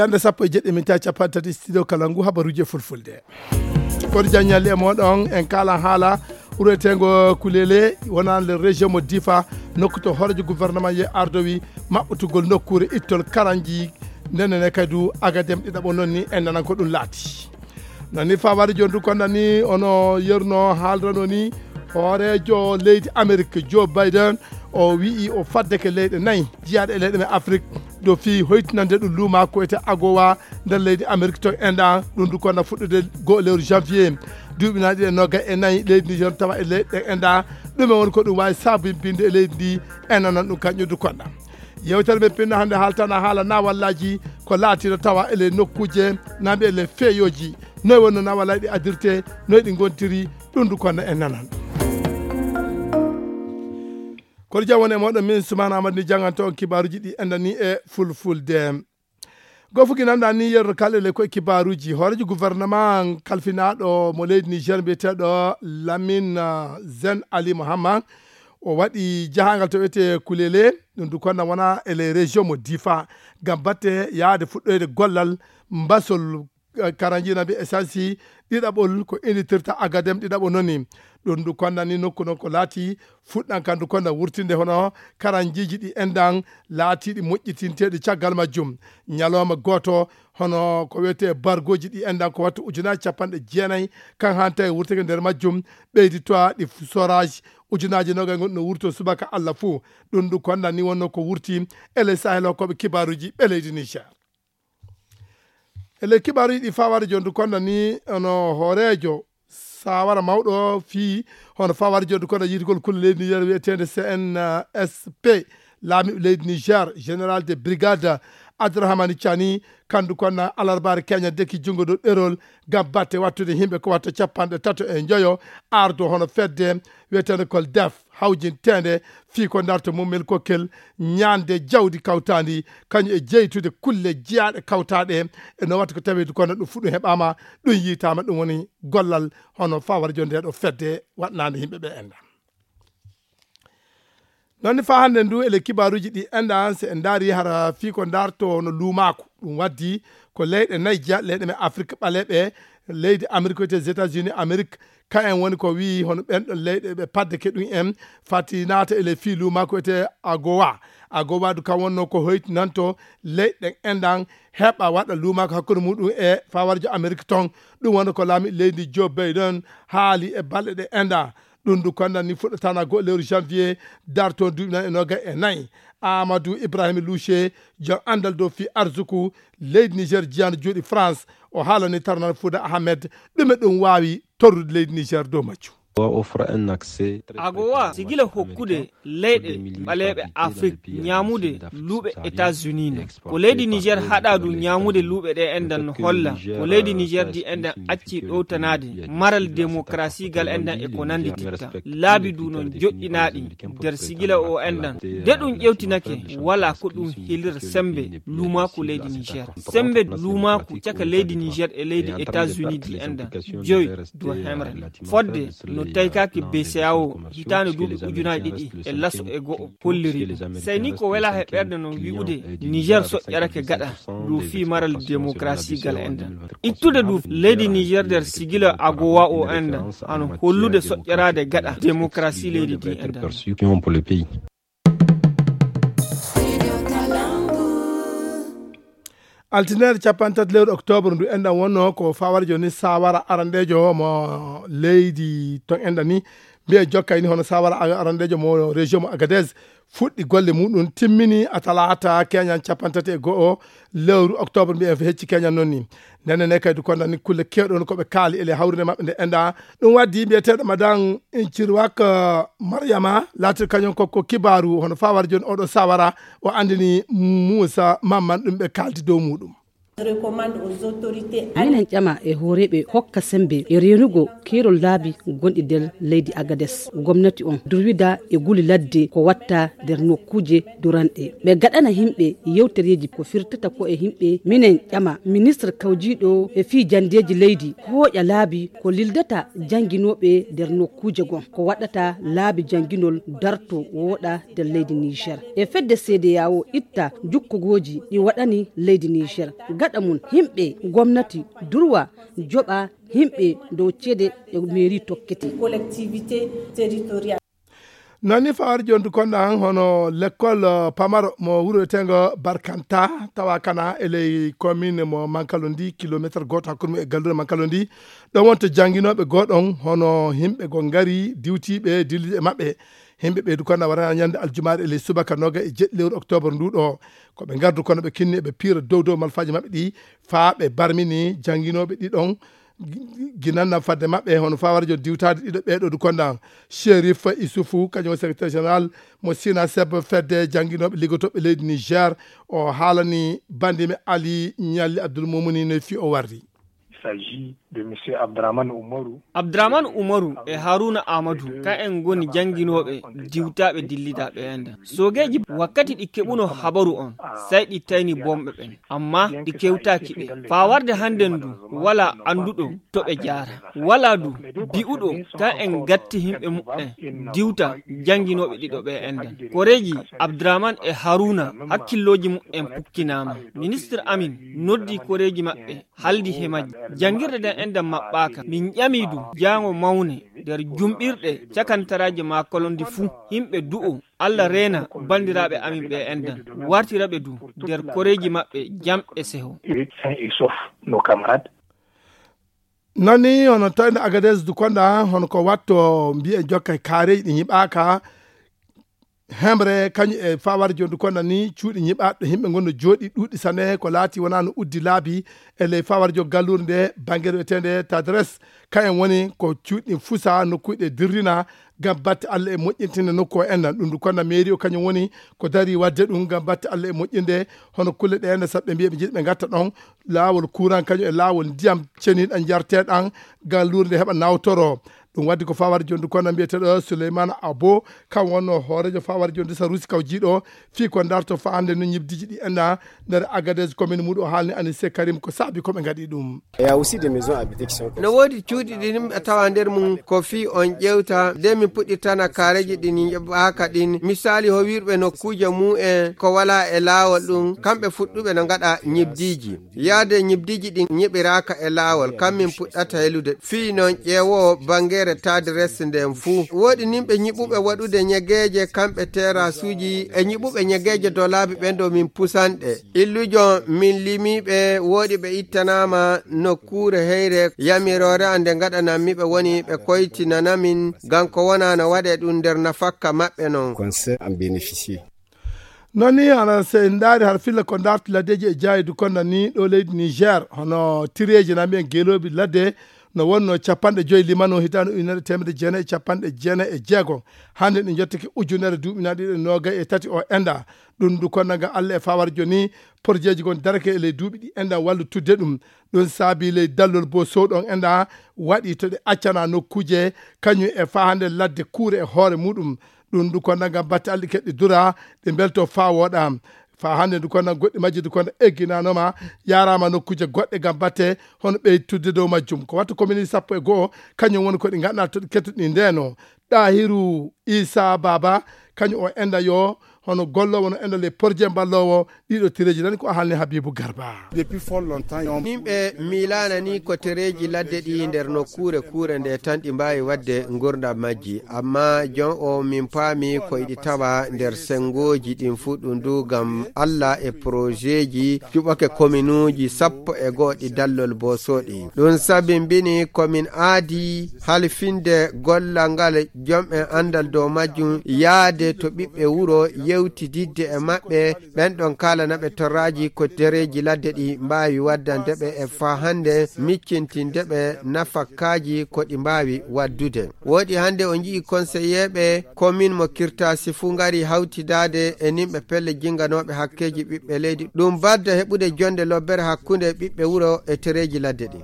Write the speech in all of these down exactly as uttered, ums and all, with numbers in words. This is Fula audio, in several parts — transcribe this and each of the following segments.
Ƴande sappo e jeɗɗi min tawi capanɗe tati studio kala ngu habaruji e fulfulde. Kono jaññalli e moɗon en kala haala wuro eteengo Kulele wonande région mo Difa, nokku to hoorejo gouvernement ye ardowi maɓɓutugol nokkure ittol karanji. Ndenen e kadi du Agadem ɗiɗaɓo noon ni en nanan ko ɗum laati. Nani fawari joni du konda ni ono yerno haalrano ni hoorejo leydi Amérique Joe Biden o wi'i o faddeke leyɗe nayi jiyaaɗe e leyɗe men Afrique do fii hoytinande ɗum luuma ko wiyete agowa nder leydi Amérique to enɗa. Ɗum du konda fuɗɗude goo lewru janvier duuɓi nayi ɗiɗi e noga e nayi leydi ndi jon tawa e leyɗe enɗa. Ɗume woni ko ɗum wawi sabimbinde e leydi ndi en nanan ɗum kañƴum du konda. Yewtere men pinna hannde haaltana haala nawallaji ko laatino tawa ele nokkuje namɓe ele feeyoji. Noy wonno nawallaji ɗi adirte, noy ɗi gontiri? Ɗum du konda en nanan. Kono jam woni e moɗon min Soumana Amadou ni jannganto on kibaruji ɗi endani e fulfulde. Gofuki nanɗa ni yerno kala ele koye kibaruji hoorejo gouvernement kalfinaɗo mo leydi Niger mbiyeteɗo Lamine Zen Ali Mohammad. O waɗi jahangal to wiyete Kulele, ɗum du konna wona e les régions mo Difa, ngam batte yaade fuɗɗoyde gollal mbasol karanjina mbi essence ɗiɗaɓol ko inditirta Agadem ɗiɗaɓo noni. Ɗum du konna ni nokku noon ko laati fuɗɗan kan du konna wurtinde hono karanjiji ɗi enɗan laatiɗi moƴƴitinteɗi caggal majjum. Ñalawma gooto hono ko wiyete bargoji ɗi enɗan ko wattu ujunaji capanɗe jeenayi kan hanta e wurtake nder majjum. Ɓeydi toa ɗi forage ujunaji nogay gonɗi no wurto subaka Allah fuu. Ɗum du konna ni wonno ko wurti ele sahel hokkoɓe kibaruji ɓe leydi Niger. Ele kibaruji ɗi fawari joni du konna ni ono hoorejo sawara mawɗo fii hono fawari joni du konna yiytugol kulle leydi Niger wiyetende C N S P. Laamiɗo leydi Niger général de brigade Abdourahmane Tiani kandu konna alarbaare keña deki junngo dow ɗerol ngam batte wattude yimɓe ko watta capanɗe tato e njoyo ardo hono fedde wiyetende kol def hawjinteende fii ko darto mummel kokkel ñaande jawdi kawtaandi kañum e jeytude kulle jeyaaɗe kawtaaɗe e no watta ko taweede kono ɗum fuɗɗum heɓaama. Ɗum yiytaama ɗum woni gollal hono fawara joni ndeɗo fedde waɗnaande yimɓe ɓe enda. Noon ni faa hannde ndu ele kibaaruuji ɗi enɗan so en ndaari hara fii ko ndaarto no luumaaku ɗum waddi ko leyɗe nayi jeya leyɗe men Afrik ɓaleeɓe leydi Amerik wiyetee États-Unis Amerik. Ka en woni ko wii hono ɓen ɗon leyɗe ɓe padde ke ɗum en fati naata ele fii luumaaku wiyetee agowa. Agowa du kam wonno ko hoytinanto leyɗe enɗan heɓa waɗa luumaaku hakkunde muɗum e fawarjo Amerik ton. Ɗum wonno ko laami leydi Joe Biden haali e balɗe ɗe enɗa. Ɗum du kondan ni fuɗɗatana go lewru janvier darto duuɓi nan e noga e nayi. Amadou Ibrahim Louche jom andal dow fi arzuku leydi Niger jiyano juuɗi France. O haalani tarnan Fouda Ahmed ɗume ɗum waawi torrude leydi Niger dow majju. Agowa sigila hokkude leyɗe ɓaleeɓe Afrik ñaamude luuɓe États-Unis no ko leydi Niger haɗa du ñaamude luuɓe ɗe enɗan no holla ko leydi Niger di enɗan acci ɗowtanaade maral démocratie gal enɗan e ko nanndititta laabi du noon joɗɗinaaɗi nder sigila o enɗan. De ɗum ƴewtinake wala ko ɗum hilira sembe luumaaku leydi Niger. Sembe luumaaku caka leydi Niger e leydi États-Unis di enɗan joyi du hemre. Fodde no taykaaki B C A O hitaande duuɓi ujunaaji ɗiɗi e laso e go'o holliri ɗum. Sey ni ko wela he ɓernde no wi'ude Niger soƴƴarake gaɗa dow fii maral démocratie gal enɗan. Ittude du leydi Niger nder sigila agowa o enɗan hano hollude soƴƴaraade gaɗa démocratie leydi ndi enɗan. Altine capanɗe tati lewru octobre ndu enɗan wonno ko fawara joni sawara aranɗejo mo leydi ton enɗan ni mbiye jokkay ni hono sawara aranɗejo mo région mo Agadez fuɗɗi golle muɗum timmini a talata keñan capanɗe tati e go'o lewru octobre mbiyen hecci keñan noon ni. Ndenne ne kadi kondani kulle kewɗon koɓe kaali ele hawrinde maɓɓe nde enɗa. Ɗum waddi mbiyeteɗo madan Incirwak Mariama latir kañum kokko kibaru hono fawara joni oɗo sawara o andini Moussa Mamman ɗum ɓe kaldi dow muɗum. Minen ƴama e hooreɓe hokka sembe e renugo keerol laabi gonɗi nder leydi Agades. Gomnati on durwida e guli ladde ko watta nder nokkuje duranɗe. Ɓe gaɗana himɓe yewtereji ko firtata ko e himɓe. Minen ƴama ministre kawjiɗo e fii jandeji leydi hooƴa laabi ko lildata janginoɓe nder nokkuje gon. Ko waɗata laabi janginol darto wooɗa nder leydi Niger. E fedde C D A O itta jukkogoji ɗi waɗani leydi Niger. Gaɗa Ɗa mum himɓe gomnati durwa joɓa himɓe dow cede e mairie tokkete. Collectivité territoriale. Nani fawar jondu konda han hono lekkol pamaro mo wuro tengo barkanta tawa kana e ley commune mo mankalondi kilometre goto hakkunde e gallure mankalondi. Ɗon wonto janginoɓe goɗon hono himɓe go ngari diwtiɓe dillide maɓɓe. Himɓe ɓeydu kono warana ñande aljumaare e ley subaka noga e jeɗɗi lewru octobre ndu ɗo. Ko ɓe ngardu kono ɓe kinni ɓe piira dow dow malfaji maɓɓe ɗi faa ɓe barmini janginoɓe ɗiɗon. Ginanna fadde maɓɓe hono fawarjo diwtaade ɗiɗo ɓeeɗo du konda Sherif Isufu kañum secrétaire général mo sina seb fedde janginoɓe liggotoɓe leydi Niger. O haalani bandime Ali Ñalli Abdul Mumuni no fi o warri. Il s'agit de monsieur Abdraman Umaru. Abdraman Umaru e Haruna Amadu ka en ngoni jannginooɓe diwtaaɓe dillidaaɓe enden. Soogeeji wakkati ɗi keɓuno habaru on, sai ɗi tayni bomɓe ɓen, amma ɗi kewtaaki ɓe. Faa warde hannden du, walaa annduɗo to ɓe jaara. Walaa du bi'uɗo ka en gatti himɓe muɓɓen diwta jannginooɓe ɗiɗo ɓe enden. Koreeji Abdraman e Haruna hakkillooji muɓɓen pukkinaama. Ministir amin noddi koreeji maɓɓe haldi he majji. Janngirɗe ɗen enɗan maɓɓaaka. Min ƴami du jaango mawne nder jumɓirɗe cakantaraaji maa kolondi fuu. Himɓe du'o Alla reena banndiraaɓe amin ɓe enɗan. Wartira ɓe du nder koreeji maɓɓe jam e seho. Sain et sauf nos camarades. Nani hono tawde Agadez du konda hono ko watto mbiye jokka kaareeji ɗi ñiɓaaka. Hemre kañum e fawar jondu kono ni cuuɗi ñiɓaaɗo himɓe ngonno jooɗi ɗuuɗi sane ko laati wona no uddi laabi e ley fawar jo gallure nde bangere wiyetende Tadres. Kayen woni ko cuuɗi fusa nokkuɗe dirrina ngam batte Allah e moƴƴintinde nokku o enɗan ɗum du kono mairie o kañum woni ko dari wadde ɗum ngam batte Allah e moƴƴinde hono kulle ɗe enɗan saɗɓe mbiya ɓe jiɗi ɓe gatta ɗon laawol kuran kañum e laawol ndiyam ceniɗan jarteɗan gallure nde heɓa nawtoro. Ɗum waddi ko fawar jondu kono mbiyeteɗo Souleymane Abo kam wonno hoorejo fawar jondu sarusi kaw jiiɗo fii ko darto faande no ñibdiji ɗi enɗa nder Agadez commune muɗum o haalni Anise Karim ko saabi ko ɓe ngaɗi ɗum. No woodi cuuɗi ɗi yimɓe tawa nder mum ko fii on ƴewta nde min puɗɗitana kaareji ɗin ñiɓaaka ɗin misali ho wirɓe nokkuuje mu'en ko wala e laawol ɗum kamɓe fuɗɗuɓe no ngaɗa ñibdiji. Yaade ñibdiji ɗin ñiɓiraaka e laawol kam min puɗɗata helude fii non ƴeewo bangere tadres nden fuu. Woodi nimɓe ñiɓuɓe waɗude ñegeeje kamɓe terasuuji e ñiɓuɓe ñegeeje dolaabi ɓen ɗo min pusanɗe. Illujo min limiɓe woodi ɓe ittanaama nokkuure heyre yamiroore an nde ngaɗanammi ɓe woni ɓe koytinanamin ngam ko wona no waɗe ɗum nder nafakka maɓɓe non. Conseil en bénéficier. Noon ni hana so en ndaari har filla ko darti laddeeji e jaayi du konda ni ɗo leydi Niger hono tireeji na mbiyen geeloobi ladde no wonno capanɗe joyi limano hitaande ujunere teemedde jeenayi e capanɗe jeenayi e jeego. Hannde ɗi njottake ujunere duuɓi na ɗiɗo e noogay e tati o enda ɗum du konda nga Allah e fawar joni porjeeji gon darake e ley duuɓi ɗi enda wallu tudde ɗum. Ɗum saabi ley dallol bo sowɗon enda waɗi to ɗe accana nokkuuje kañum e faa hannde ladde kuure e hoore muɗum. Ɗum du konda ngam batte alɗi keɗɗi dura ɗe mbelto faa wooɗa. Faa hannde du konda goɗɗi majji du konda egginanoma yarama nokkuuje goɗɗe ngam batte hono ɓeytudde dow majjum ko wattu commune sappo e go'o kañum woni ko ɗi ganduɗa to ɗi kettuɗi ndeno. Ɗahiru Isa Baba kañum o enda yo hono gollowo no enda le porje mballowo ɗiɗo tereji nani ko halni Habibu Garba. Depuis fort longtemps yimɓe miilana ni ko tereji ladde ɗi nder nokkuure kuure nde tan ɗi mbawi wadde ngurdam majji amma jon o min paami ko iɗi tawa nder sengoji ɗin fuu ɗum du ngam Allah e projetji juɓake kominuuji sappo e go'o ɗi dallol bosoɗi ɗum sabimbini komin aadi halfinde gollal ngal jom'en andal dow majjum yaade to ɓiɓɓe wuro yewtididde e maɓɓe. Ɓen ɗon kaalana ɓe torraaji ko dereeji ladde ɗi mbaawi waddande ɓe e faa hannde miccintinde ɓe nafakkaaji ko ɗi mbaawi waddude. Wooɗi hannde o nji'i konseyeeɓe komin mo kirtaasi fuu ngari hawtidaade e nimɓe pelle jinnganooɓe hakkeeji ɓiɓɓe leydi ɗum badda heɓude jonnde lobbere hakkunde ɓiɓɓe wuro e tereeji ladde ɗi.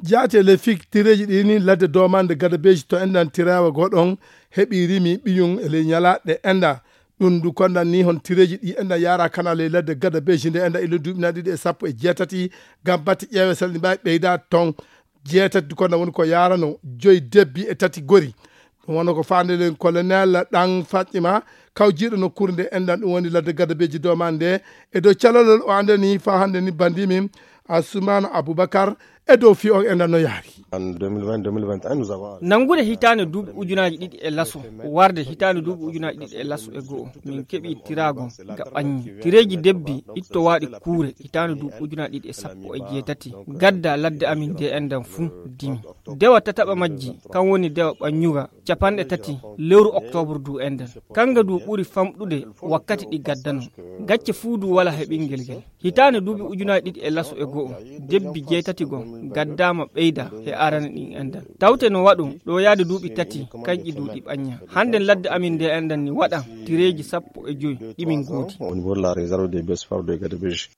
Jaati e ley fik tireeji ɗi ni ladde doomande gadabeeji to enɗan tirawa goɗon heɓi rimi ɓiyum e ley ñalaaɗe enɗa. Ɗum du kondan ni hon tireeji ɗi enɗan yaara kana ley ladde gadabeeji nde enɗa ilo duuɓi na ɗiɗi e sappo e jeetati ngam batte ƴeewe sel ɗi mbaawi ɓeyda ton jeetati du kondan woni ko yaarano joyi debbi e tati gori. Ɗum wano ko faande len colonel ɗan fatima kawjiiɗo nokkuure nde enɗan, ɗum woni ladde Gadabeji Domande nde. E dow calalol o anndani faa hannde ni banndi min Asumana Abubakar e dow fii on enɗan no yaari. Nanngude hitaande duuɓi ujunaaji ɗiɗi e laso, warde hitaande duuɓi ujunaaji ɗiɗi e laso e go'o, min keɓii tiraago ga ɓanngi. Tireeji debbi ittowaaɗi kuure hitaande duuɓi ujunaaji ɗiɗi e sappo e jeetati, gadda ladde amin nde enɗan fuu dimi. Dewa tataɓa majji, kan woni dewa ɓannyuga, capanɗe tati lewru oktoobar du enɗan. Kanga du ɓuri famɗude wakkati ɗi gaddano. Gacce fuu du wala he ɓinngel ngel. Hitaande duuɓi ujunaaji ɗiɗi e laso e go'o, debbi jeetati gon gaddaama ɓeyda he arana ɗin enɗan. Tawte no waɗu ɗo yaade duuɓi tati, kanƴi du ɗi ɓannya. Hannde ladde amin nde enɗan ni waɗa tireeji sappo e joy ɗi min goodi. Au niveau de la réserve des bestiaires de Gadabeji.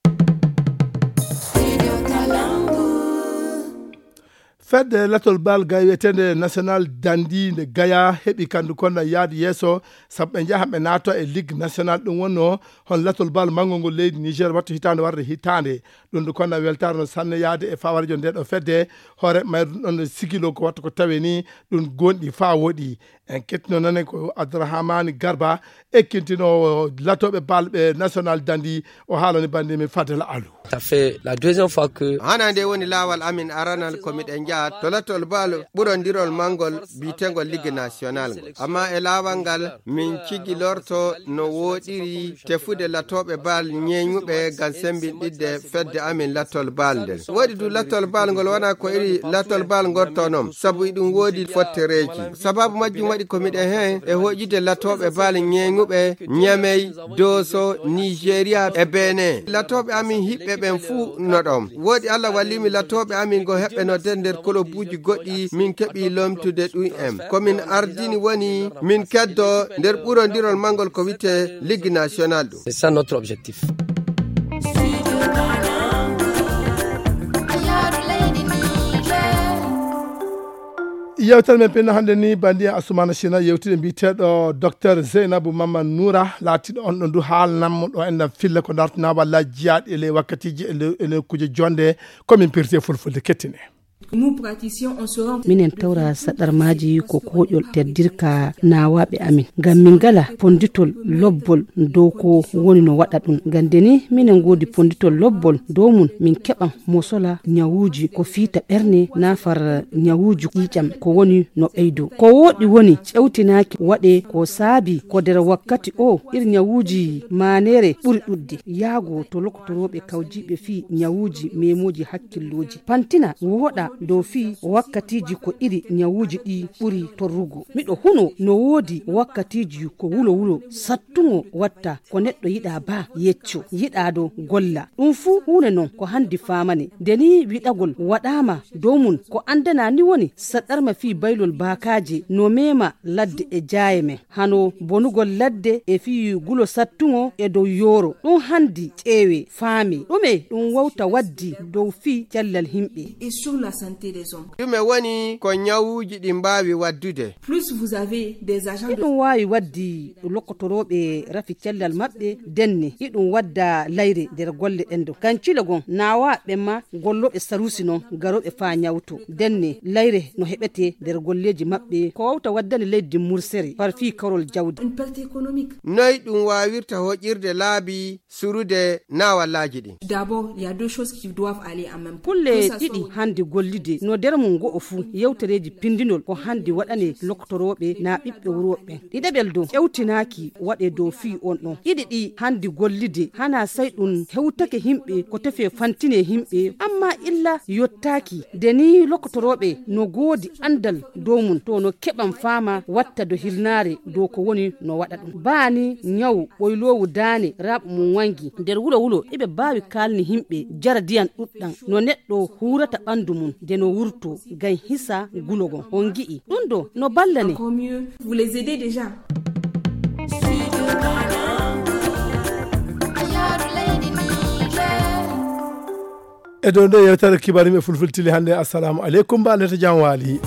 Fedde latol bal gay wiyeteende National Dandi nde Gaya heɓi kandu konna yaade yeeso, sabu ɓe njaha ɓe naata e Ligue National. Ɗum wonno hon latol bal manngo ngol leydi Niger wattu hitaande warde hitaande. Ɗum ndu konna weltaare no sanne yaade e fawarejo nde ɗo fedde, hoore mayru ɗum ɗon sigilo ko wattu ko tawe ni ɗum gonɗi faa woɗi. En kettino nane ko Abdourahmane Garba, ekkintinoowo latooɓe bal ɓe National Dandi, o haalani banndi men Fadel Alou. Ça fait la deuxième fois que hana nde woni laawal amin aranal ko miɗen njaha to latol bal ɓurondirol manngol biyeteengol Ligue National ngol. Amma e laawal ngal min cigilorto no wooɗiri tefude latooɓe bal ñeeñuɓe ngam sembinɗidde fedde amin latol bal nden. Woodi du latol bal ngol wona ko iri latol bal ngol to non, sabu iɗum woodi fottereeji. Sababu majjum waɗi ko miɗen heen e hoƴude latooɓe bal ñeeñuɓe Ñamey, Dooso, Nigeria e Benin. Latooɓe amin hiɓɓe ɓen fuu no ɗon. Woodi Allah wallimi latooɓe amin go heɓɓe no nder nder kolobuuji goɗɗi min keɓi lomtude ɗum en. Ko min ardini woni min keddo nder ɓurondirol manngol ko wi'etee Ligue National ɗum. C'est ça notre objectif. Yewtere men pinno hannde ni, banndi en Asumana Sina yewtide mbiyeteeɗo Docteur Zeynabu Mamman Noura, laatiiɗo on ɗo ndu haalnammo ɗo enɗan filla ko dartinaa walla jiyaaɗi e ley wakkatiiji e ley, e ley kuje jonde, ko min pirti e fulfulde kettine. Nous praticiens, on sera minen tawra saɗarmaaji ko kooƴol teddirka naawaaɓe amin. Ngam min ngala ponnditol lobbol dow ko woni no waɗa ɗum. Ngam nde ni minen ngoodi ponnditol lobbol dow mum, min keɓan mo sola ñawuuji ko fiita ɓerne, naafar ñawuuji ƴiiƴam ko woni no ɓeydo. Ko wooɗi woni ƴewtinaaki waɗe ko saabi ko nder wakkati o ir ñawuuji maaneere ɓuri ɗuɗde. Yaago to lokotorooɓe kawjiiɓe fii ñawuuji meemooji hakkillooji. Pantina wooɗa dow fii wakkatiiji ko iri ñawuuji ɗi ɓuri torrugo. Miɗo huno no woodi wakkatiiji ko wulo wulo sattuŋo watta ko neɗɗo yiɗaa baa yecco, yiɗaa do golla. Ɗum fuu huune non ko handi faamane. Nde ni wiɗagol waɗaama dow mum ko anndana ni woni saɗɗarma fii baylol baakaaje no meema ladde e jaaye men. Hano bonugol ladde e fii gulo sattuŋo e dow yooro. Ɗum handi ƴeewe, faame. Ɗume ɗum wawta waddi dow fii cellal himɓe? Et sur la santé des hommes. Ɗume woni ko ñawuuji ɗi mbaawi waddude? Plus vous avez des agents de Hiɗum waawi waddi lokotorooɓe rafi cellal maɓɓe, denne hiɗum wadda layre nder golle ɗen ɗo. Ngam cilo gon naawa ɓe ma gollooɓe sarusi non garooɓe faa ñawto. Denne layre no heɓetee nder golleeji maɓɓe, ko wawta waddani leydi mursere far fii karol jawdi. Une perte économique. Noy ɗum waawirta hoƴirde laabi surude naawallaaji ɗin? D'abord, il y a deux choses qui doivent aller en même temps. Kulle ɗiɗi handi gollide no nder mum go'o fuu. Yewtereeji pindinol ko handi waɗane lokotorooɓe naa ɓiɓɓe wuro ɓen. Ɗiɗaɓel dow ƴewtinaaki waɗe dow fii on ɗon. Ɗiɗi ɗi handi gollide hana sey ɗum hewtake himɓe ko tefee fantine himɓe, amma illa yottaaki. Nde ni lokotorooɓe no goodi anndal dow mum, to no keɓan faama watta do hirnaare dow ko woni no waɗa ɗum. Baa ni ñawu ɓoyloowu daane raaɓo mum wangi nder wulo wulo, iɓe baawi kaalni himɓe jara diyan ɗuɗɗan no neɗɗo huurata ɓanndu mum nde no wurto ngam hisa gulo gon. On ngi'i ɗum ɗo no ballane. Encore mieux, vous les aidez déjà. E dow nde yewtere kibaru men fulfulde tili hannde. Assalamu aleykum, mbaɗen jam waali.